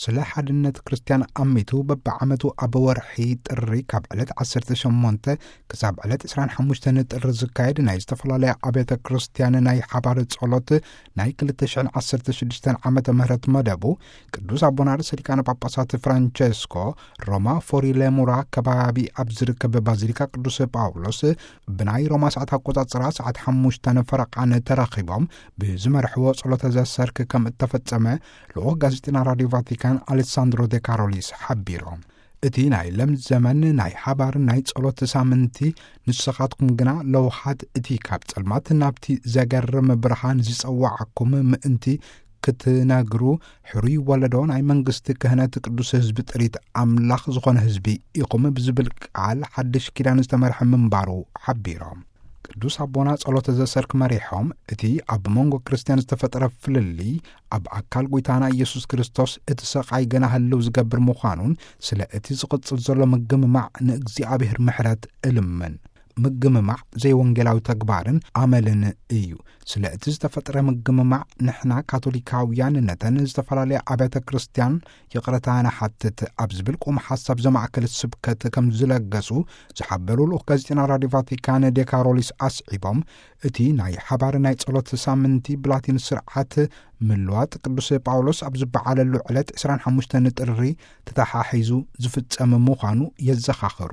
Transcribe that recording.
ስለ ሓድነት ክርስትያን ኣሚቱ በብዓመቱ ኣብ ወርሒ ጥሪ ካብ ዕለት ዓሰርተ ሸሞንተ ክሳብ ዕለት ዕስራን ሓሙሽተን ጥሪ ዝካየድ ናይ ዝተፈላለያ ኣብያተ ክርስትያን ናይ ሓባር ጸሎት ናይ ክልተ ሽሕን ዓሰርተ ሽዱሽተን ዓመተ ምህረት መደቡ ቅዱስ ኣቦና ርእሰ ሊቃነ ጳጳሳት ፍራንቸስኮ ሮማ ፎሪሌሙራ ከባቢ ኣብ ዝርከብ ባዚሊካ ቅዱስ ጳውሎስ ብናይ ሮማ ሰዓት ኣቆጻጽራ ሰዓት ሓሙሽተ ፈረቓን ተራኺቦም ብዝመርሕዎ ጸሎተ ዘሰርክ ከም እተፈጸመ ልኡኽ ጋዜጠና ራዲዮ ቫቲካን ኣሌሳንድሮ ዴ ካሮሊስ ሓቢሮም። እቲ ናይ ለም ዘመን ናይ ሓባር ናይ ጸሎት ሳምንቲ ንስኻትኩም ግና ለውሃት እቲ ካብ ጸልማት ናብቲ ዘገርም ብርሃን ዝጸዋዓኩም ምእንቲ ክትነግሩ ሕሩይ ወለዶ ናይ መንግስቲ ክህነት ቅዱስ ህዝቢ ጥሪት ኣምላኽ ዝኾነ ህዝቢ ኢኹም ብዝብል ቃል ሓድሽ ኪዳን ዝተመርሐ ምንባሩ ሓቢሮም። ቅዱስ ኣቦና ጸሎተ ዘሰርክ መሪሖም እቲ ኣብ መንጎ ክርስትያን ዝተፈጠረ ፍልልይ ኣብ ኣካል ጎይታና ኢየሱስ ክርስቶስ እቲ ሰቓይ ገና ህልው ዝገብር ምዃኑን ስለ እቲ ዝቕጽል ዘሎ ምግምማዕ ንእግዚኣብሔር ምሕረት እልምን። ምግምማዕ ዘይወንጌላዊ ተግባርን ኣመልን እዩ። ስለ እቲ ዝተፈጥረ ምግምማዕ ንሕና ካቶሊካውያን ነተን ዝተፈላለያ ኣብያተ ክርስትያን ይቕረታ ንሓትት ኣብ ዝብል ቁም ሓሳብ ዘማእከል ስብከት ከም ዝለገሱ ዝሓበሩ ልኡኽ ጋዜጠና ራዲዮ ቫቲካን ዴካሮሊስ ኣስዒቦም እቲ ናይ ሓባር ናይ ጸሎት ሳምንቲ ብላቲን ስርዓት ምልዋጥ ቅዱስ ጳውሎስ ኣብ ዝበዓለሉ ዕለት ዕስራን ሓሙሽተን ጥሪ ተተሓሒዙ ዝፍጸም ምዃኑ የዘኻኽሩ።